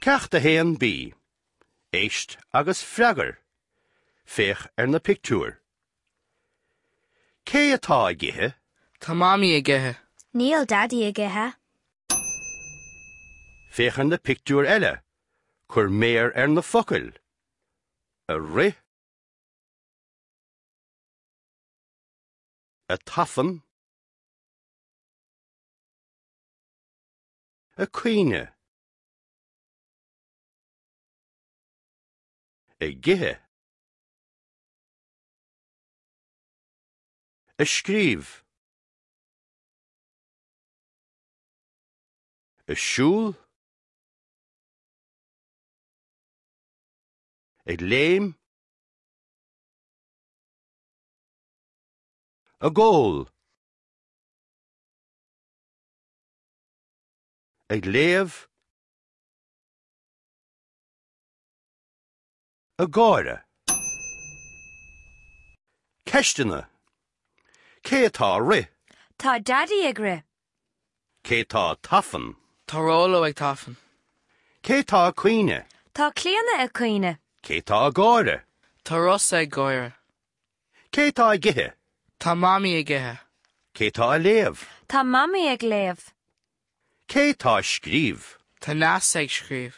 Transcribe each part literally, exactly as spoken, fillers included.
Ceacht a haon B. Éist agus freagair. Féach ar na pictiúir. Cé atá ag ithe? Tá Mamaí ag ithe. Níl Daidí ag ithe. Féach ar na pictiúir eile. Cuir méar ar na focail. Ag rith. Ag tafann. Ag caoineadh. Ag ithe. Ag scríobh. Ag siúl. Ag léim. Ag ól. Ag léamh. Ag gáire. Ceisteanna. Cé atá ag rith? Tá Daidí ag rith. Cé atá ag tafann? Tá Róló ag tafann. Cé atá ag caoineadh? Tá Clíona ag caoineadh. Cé atá ag gáire? Tá Rossa ag gáire. Cé atá ag ithe? Tá Mamaí ag ithe. Cé atá ag léamh? Tá Mamaí ag léamh. Cé atá ag scríobh? Tá Neasa ag scríobh.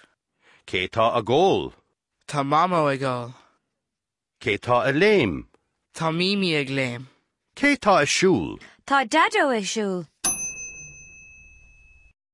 Cé atá ag ól? Tá Mamó ag ól. Cé atá ag léim? Tá Mimi ag léim. Cé atá ag siúl? Tá Daideo ag siúl.